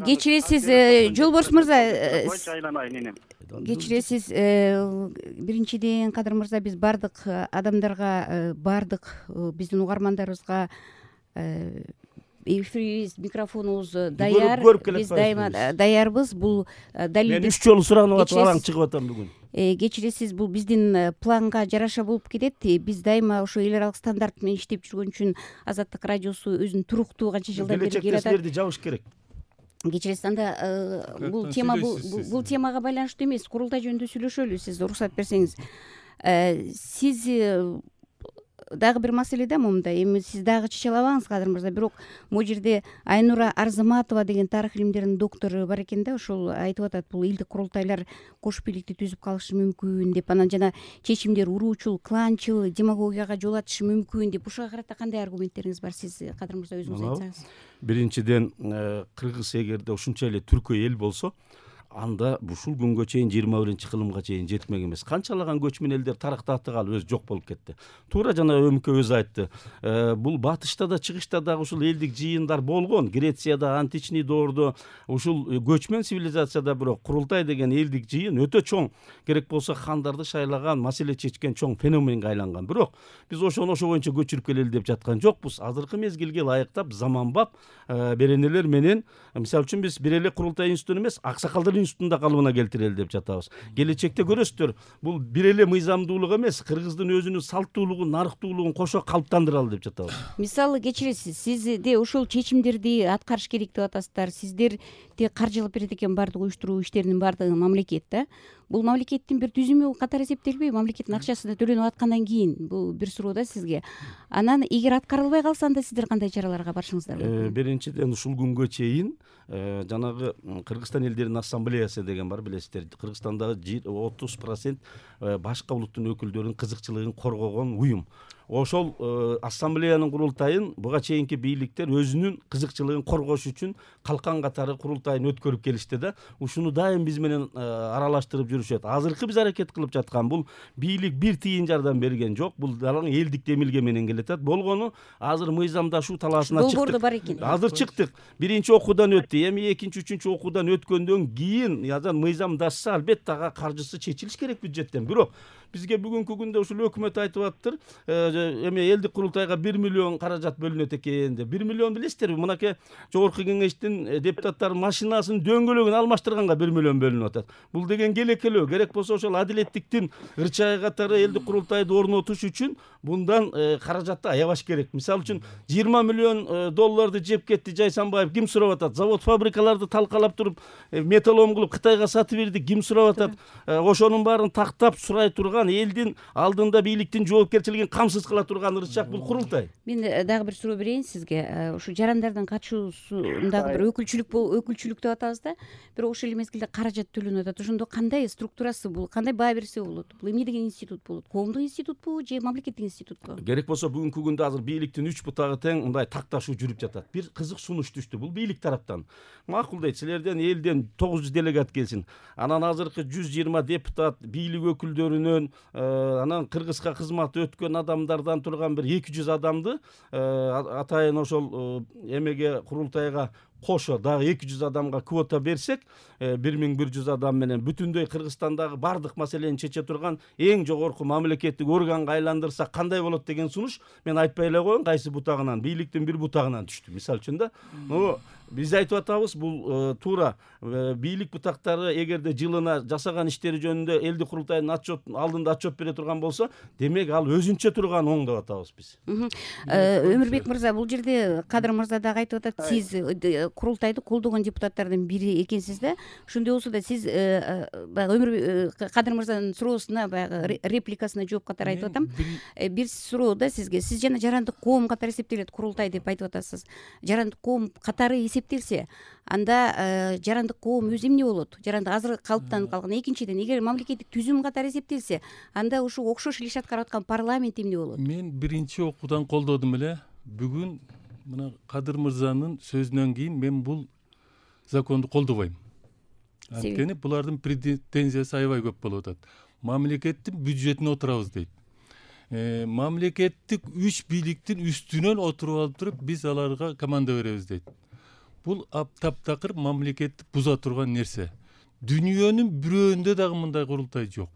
Кечиресиз, Жолборс мырза, айланайын энем. кечиресиз, биринчиден Кадыр мырза, биз бардык адамдарга, бардык биздин угармандарыбызга эфирибиз, микрофонубуз даяр, биз дайыма даярбыз. Бул далилдик. Мен 3 жолу суранып атып араң чыгып атам бүгүн. Кечиресиз, бул биздин планга жараша болуп кетет. Биз дайыма ошо эл аралык стандарт менен иштеп жүргөн үчүн Азаттык радиосу өзүнүн туруктуу канча жылдан бери келе атат. Келечекте силерди жабыш керек. Кечиресиз, анда бул тема бул темага байланыштуу эмес. Курултай жөнүндө сүйлөшөлү, сиз уруксат берсеңиз. Сиз дагы бир маселе да момунда, эми сиз дагы чече албаңыз Кадыр мырза, бирок могу жерде Айнура Арзыматова деген тарых илимдеринин доктору бар экен да, ошол айтып атат, бул элдик курултайлар кош бийликти түзүп калышы мүмкүн деп, анан жана чечимдер уруучул, кланчыл, демагогияга жол ачышы мүмкүн деп. Ушуга карата кандай аргументтериңиз бар? Сиз, Кадыр мырза, өзүңүз айтсаңыз. Биринчиден, Кыргыз эгерде ушунча эле түркөй эл болсо, анда ушул күнгө чейин 21-кылымга чейин жетмек эмес. Канчалаган көчмөн элдер тарыхтаты калып өзү жок болуп кетти. Туура жана Өмүкө өзү айтты. Бул батышта да чыгышта дагы ушул элдик жыйындар болгон. Грецияда, античный доордо ушул көчмөн цивилизацияда бирок курултай деген элдик жыйын өтө чоң, керек болсо хандарды шайлаган, маселе чечкен чоң феноменге айланган. Бирок биз ошо боюнча көчүрүп келели деп жаткан жокпуз. Азыркы мезгилге ылайыктап, заманбап беренелер менен, мисалы үчүн биз бир эле курултай институтун эмес, аксакалдар институтунда калыбына келтирели деп жатабыз. Келечекте көрөсүздөр, бул бир эле мыйзамдуулук эмес, Кыргыздын өзүнүн салттуулугун, нарыктуулугун кошо калыптандыралы деп жатабыз. Мисалы, кечиресиз, сизде ушул чечимдерди аткарыш керек деп атасыздар. Сиздерди каржылап берет экен бардык уюштуруу иштеринин бардыгы мамлекет да. Бул мамлекеттин бир түзүмү катары эсептелбейби? Мамлекеттин акчасы да төлөнүп аткандан кийин бул бир суроо да сизге. Анан эгер аткарылбай калса, анда сиздер кандай чараларга барышыңыздар мүмкүн? Биринчиден, ушул күнгө чейин жанагы Кыргызстан элдеринин ассамблеясы деген бар, билесиздер. Кыргызстандагы 30% башка улуттун өкүлдөрүнүн кызыкчылыгын коргогон уюм. Ошол ассамблеянын курултайын буга чейинки бийликтер өзүнүн кызыкчылыгын коргош үчүн калкан катары курултайын өткөрүп келишти да. Ушуну дайым биз менен аралаштырып жүрүшөт. Азыркы биз аракет кылып жаткан бул бийлик бир тиын жардам берген жок. Бул далаң элдик демилге менен келатат. Болгону азыр мыйзамдашуу талаасына чыктык. Долбоордо бар экен. Азыр чыктык. Биринчи окуудан өттү. Эми экинчи, үчүнчү окуудан өткөндөн кийин язан мыйзамдашса, албетте ага каржысы чечилиш керек бюджеттен. Бирок бизге бүгүнкү күндө ушул өкмөт айтып атыптыр, эми элдик курултайга 1 миллион каражат бөлүнөт экен деп. 1 миллион билесиздерби? Мынакей жогорку кеңештин депутаттарынын машинасынын дөңгөлөгүн алмаштырганга 1 миллион бөлүнүп атат. Бул деген келекелөө. Керек болсо ошол адилеттиктин ырчайы катары элдик курултайды орнотуш үчүн мындан каражатты аябаш керек. Мисалы үчүн 20 миллион долларды жеп кетти Жайсанбаев, ким сурап атат? Завод фабрикаларды талкалап туруп, металлолом кылып Кытайга сатып берди, ким сурап атат? Ошонун баарын тактап сурай турган, элдин алдында бийликтин жоопкерчилигин камсыз кыла турган ырчак бул курултай. Мен дагы бир суроо берейин сизге. Ушу жарандардын катышуусундагы бир өкүлчүлүк деп атабыз да. Бирок ошол эле мезгилде каражат төлөнүп атат. Ошондо кандай структурасы бул? Кандай баа берсе болот? Бул эмне деген институт болот? Коомдук институтпу же мамлекеттик институтпу? Керек болсо бүгүнкү күндө азыр бийликтин 3 бутагы тең мындай такташуу жүрүп жатат. Бир кызык сунуш түштү. Бул бийлик тараптан. Макул дейт, силерден элден 900 делегат келсин. Анан азыркы 120 депутат бийлик өкүлдөрүнөн, анан Кыргызга кызмат өткөн адамдардан турган бир 200 адамды атайын ошол эмеге курултайга кошо дагы 200 адамга квота берсек, 1100 адам менен бүтүндөй Кыргызстандагы бардык маселени чече турган эң жогорку мамлекеттик органга айландырсак кандай болот деген сунуш мен айтпай эле коеюн, кайсы бутагынан, бийликтин бир бутагынан түштү. Мисалы үчүн да, биз айтып атабыз, бул туура бийлик бутактары эгерде жылына жасаган иштери жөнүндө элдик курултайдын алдында отчет бере турган болсо, демек ал өзүнчө турган оң деп атабыз биз. Өмүрбек мырза, бул жерде Кадыр мырза дагы айтып атат, сиз курултайды колдогон депутаттардын бири экенсиз да. Ошондой болсо да сиз баягы Кадыр мырзанын суроосуна, баягы репликасына жооп катары айтып атам. Бир суроо да сизге. Сиз жана жарандык коом катары эсептелет курултай деп айтып атасыз. Жарандык коом катары эсептелсе, анда жарандык коом өзү эмне болот? Жарандык азыр калыптанып калган. Экинчиден, эгер мамлекеттик түзүм катары эсептелсе, анда ушу окшош иш аткарып аткан парламент эмне болот? Мен биринчи окуудан колдодум эле. Бүгүн мына Кадыр мырзанын сөзүнөн кийин мен бул законду колдобойм. Анткени булардын претензиясы аябай көп болуп атат. Мамлекеттин бюджетине отурабыз дейт. Мамлекеттик 3 бийликтин үстүнөн отуруп алып туруп биз аларга команда беребиз дейт. бул таптакыр мамлекетти буза турган нерсе. Дүйнөнүн бирөөндө дагы мындай курултай жок.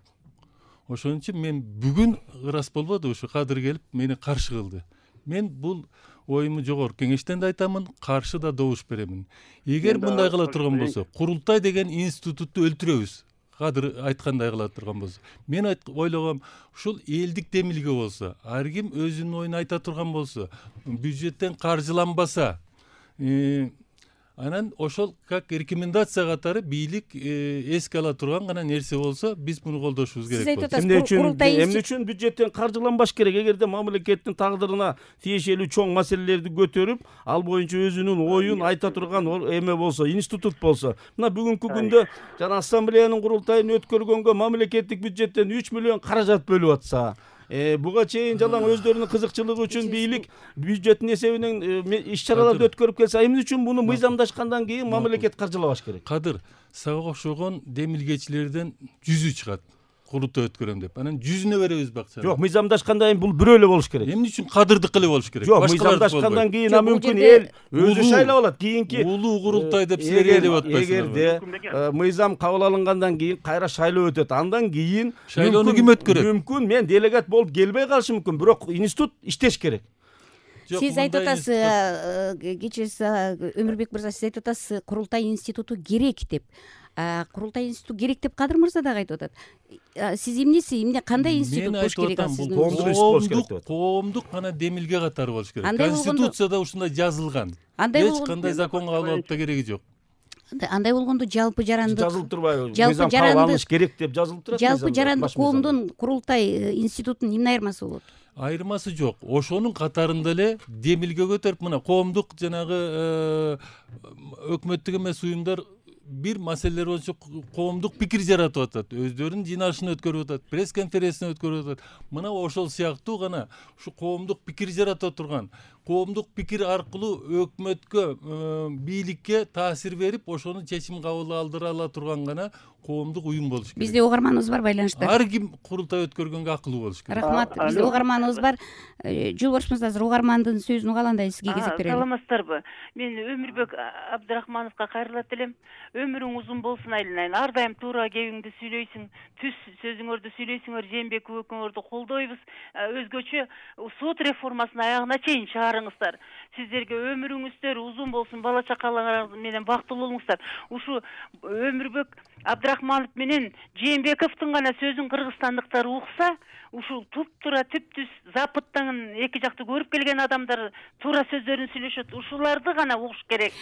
Ошон үчүн мен бүгүн ырас болбоду, ушу кадыр келип мени каршы кылды. Мен бул оюму жогорку кеңештен да айтамын, каршы да добуш беремин. Эгер мындай кыла турган болсо, курултай деген институтту өлтүрөбүз. Кадыр айткандай кыла турган болсо. Мен ойлогом, ушул элдик демилге болсо, ар ким өзүнүн оюн айта турган болсо, бюджеттен каржыланбаса, анан ошол как рекомендация катары бийлик эске ала турган гана нерсе болсо, биз муну колдошубуз керек болот. Эмне үчүн бюджеттен каржыланбаш керек? Эгерде мамлекеттин тагдырына тиешелүү чоң маселелерди көтөрүп, ал боюнча өзүнүн оюн айта турган эме болсо, институт болсо. Мына бүгүнкү күндө жана ассамблеянын курултайын өткөргөнгө мамлекеттик бюджеттен 3 миллион каражат бөлүп атса, буга чейин жалаң өздөрүнүн кызыкчылыгы үчүн бийлик бюджеттин эсебинен иш-чараларды өткөрүп келсе, эмне үчүн муну мыйзамдашкандан кийин мамлекет каржылабаш керек? Кадыр, сага окшогон демилгечилерден 100 чыгат. Курултай өткөрөм деп. Анан 100-үнө беребиз бакчаны. Жок, мыйзамдашкандан кийин бул бирөө эле болуш керек. Эмне үчүн кадырдыкы эле болуш керек? Жок, мыйзамдашкандан кийин мүмкүн эл өзү шайлап алат. Кийинки улуу курултай деп силер деп атпайсыңар. Эгерде мыйзам кабыл алынгандан кийин кайра шайлоо өтөт. Андан кийин шайлоону ким өткөрөт? Мүмкүн мен делегат болуп келбей калышы мүмкүн, бирок институт иштеш керек. Сиз айтып атасыз, кечиресиз Өмүрбек мырза, сиз айтып атасыз, курултай институту керек деп. Курултай институту керек деп Кадыр мырза дагы айтып атат. Сиз эмне кандай институт болуш керек сиздин? Коомдук гана демилге катары болуш керек. Конституцияда ушундай жазылган. Эч кандай закон кабыл алып да кереги жок. Андай болгондо жалпы жарандык жазылып турбайбы? Мыйзам кабыл алыш керек деп жазылып турат. Жалпы жарандык коомдун курултай институтунун эмне айырмасы болот? Айырмасы жок. Ошонун катарында эле демилге көтөрүп, мына коомдук жанагы өкмөттүк эмес уюмдар бир маселелер боюнча коомдук пикир жаратып атат, өздөрүнүн жыйналышын өткөрүп атат, пресс конференцияны өткөрүп атат. Мына ошол сыяктуу гана ушу коомдук пикир жарата турган, коомдук пикир аркылуу өкмөткө, бийликке таасир берип, ошону чечим кабыл алдыра ала турган гана коомдук уюм болуш керек. Бизде угарманыбыз бар байланышта. Ар ким курултай өткөргөнгө акылуу болуш керек. Рахмат. Бизде угарманыбыз бар. Жолборш мырза, азыр угармандын сөзүн угаландай сизге кезек берели. Саламатсыздарбы? Мен Өмүрбек Абдрахмановго кайрылат элем. Өмүрүң узун болсун айланайын. Ар дайым туура кебиңди сүйлөйсүң, түз сөзүңөрдү сүйлөйсүңөр, Жээнбеков экөөңөрдү колдойбуз. Өзгөчө сот реформасынын аягына чейин чыгарыңыздар. Сиздерге өмүрүңүздөр узун болсун, бала чакаларыңыз менен бактылуу болуңуздар. Ушу Өмүрбек Абдрахманов менен Жээнбековдун гана сөзүн кыргызстандыктар укса, ушул туп-туура түп-түз запыттан эки жакты көрүп келген адамдар туура сөздөрүн сүйлөшөт. Ушуларды гана угуш керек.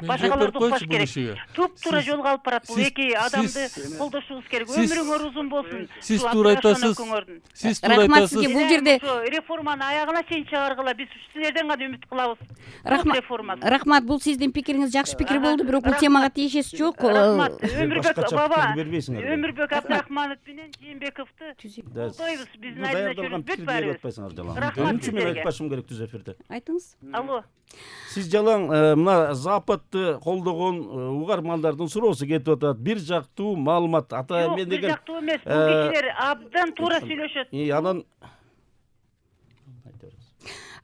Башкаларды укпаш керек. Туп-туура жолго алып барат бул эки адамды колдошубуз керек. Өмүрүңөр узун болсун. Сиз туура айтасыз. Сиз туура айтасыз. Бул жерде реформаны аягына чейин чыгаргыла, биз силерден гана үмүт кылабыз. Рахмат, бул сиздин пикириңиз жакшы пикир болду, бирок бул темага тиешеси жок. Рахмат. Өмүрбек Абдрахманов менен Жээнбековду колдойбуз. Биздин айдына чөрүнбөт барыбыз. Рахмат. Мен айтпашым керек түз эфирде. Айтыңыз. Алло. Сиз жалаң мына Западты колдогон угармандардын суроосу кетип атат. Бир жактуу маалымат. Ата мен деген бир жактуу эмес. Бул кишилер абдан туура сүйлөшөт. Анан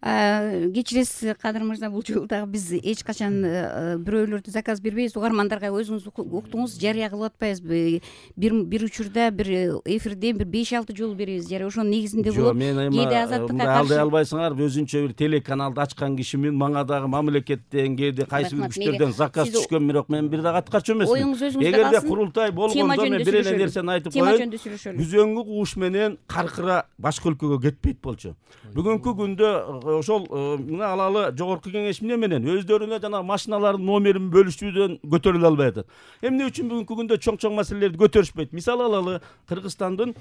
кечиресиз Кадыр мырза, бул жолу дагы биз эч качан бирөөлөрдү заказ бербейбиз. Угармандарга өзүңүз уктуңуз, жарыя кылып атпайбыз. Бир учурда бир эфирде бир 5-6 жолу беребиз. Жарыя ошонун негизинде болот. Кээде азаттыкка каршы алдай албайсыңар. Өзүнчө бир телеканалды ачкан кишимин, мага дагы мамлекеттен, кээде кайсы бир күчтөрдөн заказ түшкөн, бирок мен бир дагы аткарчу эмесмин. Оюңуз өзүңүздө калсын. Эгерде калсын. курултай болгондо мен бир эле нерсени айтып коеюн. Күзөңгү кууш менен каркыра башка өлкөгө кетпейт болчу. Бүгүнкү күндө ошол мына алалы жогорку кеңеш менен өздөрүнө жана машиналардын номерин бөлүшүүдөн көтөрүлө албай атат. Эмне үчүн бүгүнкү күндө чоң маселелерди көтөрүшпөйт? Мисал алалы, Кыргызстандын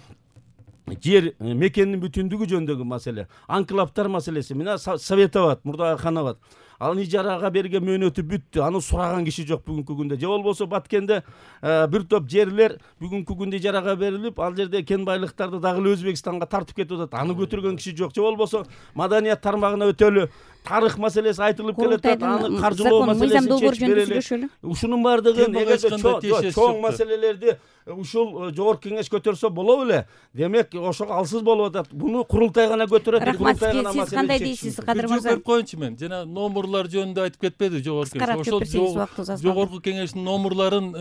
жер мекенинин бүтүндүгү жөнүндөгү маселе, анклавтар маселеси. Мына Советоват, Мурдагахановат. Ал ижарага берген мөөнөтү бүттү. Аны сураган киши жок бүгүнкү күндө. Же болбосо Баткенде бир топ жерлер бүгүнкү күндө ижарага берилип, ал жерде кен байлыктарды дагы эле Өзбекстанга тартып кетип атат. Аны көтөргөн киши жок. Же болбосо маданият тармагына өтөлү тарых маселеси айтылып келатат. Аны каржылоо маселесин чечип берели. Ушунун баардыгын эгерде чоң маселелерди ушул жогорку кеңеш көтөрсө болобу эле. Демек, ошого алсыз болуп атат. Буну курултай гана көтөрөт. Рахмат. Сиз кандай дейсиз, Кадыр мырза? Коюнчу мен жана номер номурлар жөнүндө айтып кетпеди жогорку кеңеш? Кыскараак жооп берсеңиз, убактыбыз аз калды. Жогорку кеңештин номурларын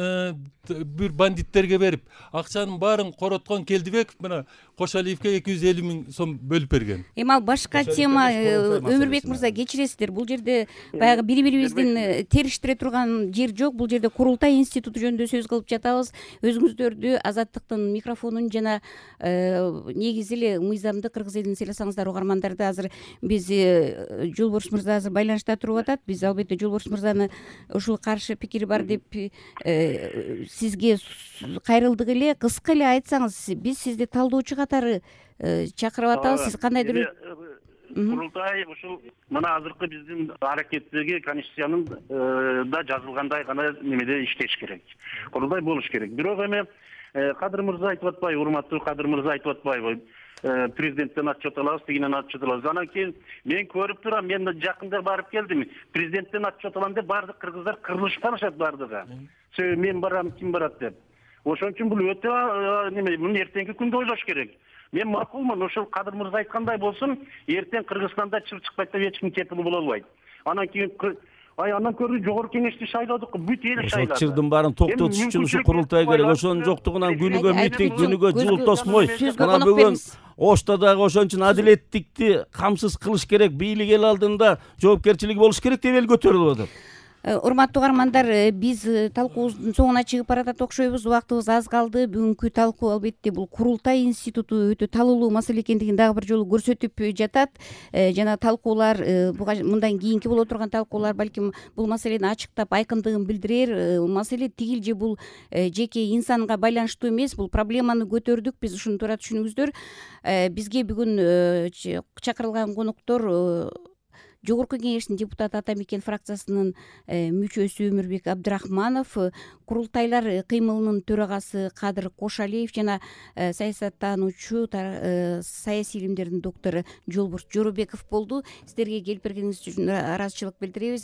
бир бандиттерге берип, акчанын баарын короткон Келдибеков мына Кошалиевке 250 000 сом бөлүп берген. Эми ал башка тема. Өмүрбек мырза, кечиресиздер, бул жерде баягы бири-бирибиздин териштире турган жер жок. Бул жерде курултай институту жөнүндө сөз кылып жатабыз. Өзүңүздөрдү Азаттыктын микрофонун жана негизи эле мыйзамды Кыргыз элин сыйласаңыздар угармандарды азыр биз Жолборс мырза азыр байланышта туруп атат. Биз албетте Жолборс мырзаны ушул каршы пикири бар деп сизге кайрылдык эле. Кыска эле айтсаңыз, биз сизди талдоочу катары чакырып атабыз. Сиз кандайдыр курултай ушул мына азыркы биздин аракеттеги конституциянын да жазылгандай гана немеде иштеш керек. Курултай болуш керек. Бирок эми Кадыр мырза айтып атпайбы, урматтуу Кадыр мырза айтып атпайбы, президенттен отчет алабыз, тигинен отчет алабыз. Анан кийин мен көрүп турам, мен жакында барып келдим. Президенттен отчет алам деп баардык кыргыздар кырылышып калышат баардыгы. Мен барам, ким барат деп. Ошон үчүн бул өтө неме, муну эртеңки күндө ойлош керек. Мен макулмун, ошол Кадыр мырза айткандай болсун, эртең Кыргызстанда чыр чыкпайт деп эч ким кепил боло албайт. Анан кийин андан көрө жогорку кеңешти шайладык, бүт эл шайлады. Ошол чырдын баарын токтотуш үчүн ушу курултай керек. Ошонун жоктугунан күнүгө митинг, күнүгө жылуу тосмой. Мына бүгүн Ошто дагы ошон үчүн адилеттикти камсыз кылыш керек, бийлик эл алдында жоопкерчилиги болуш керек деп эл көтөрүлүп атат. Урматтуу угармандар, биз талкуубуздун соңуна чыгып баратат окшойбуз. Убактыбыз аз калды. Бүгүнкү талкуу албетте бул курултай институту өтө талуулуу маселе экендигин дагы бир жолу көрсөтүп жатат. Жана талкуулар мындан кийинки боло турган талкуулар балким бул маселени ачыктап айкындыгын билдирер. Маселе тигил же бул жеке инсанга байланыштуу эмес. Бул проблеманы көтөрдүк биз, ушуну туура түшүнүңүздөр. Бизге бүгүн чакырылган коноктор Жогорку кеңештин депутаты Атамекен фракциясынын мүчөсү Өмүрбек Абдрахманов, курултайлар кыймылынын төрагасы Кадыр Кошалиев жана саясаттануучу, саясий илимдердин доктору Жолборс Жоробеков болду. Сиздерге келип бергениңиз үчүн ыраазычылык билдиребиз.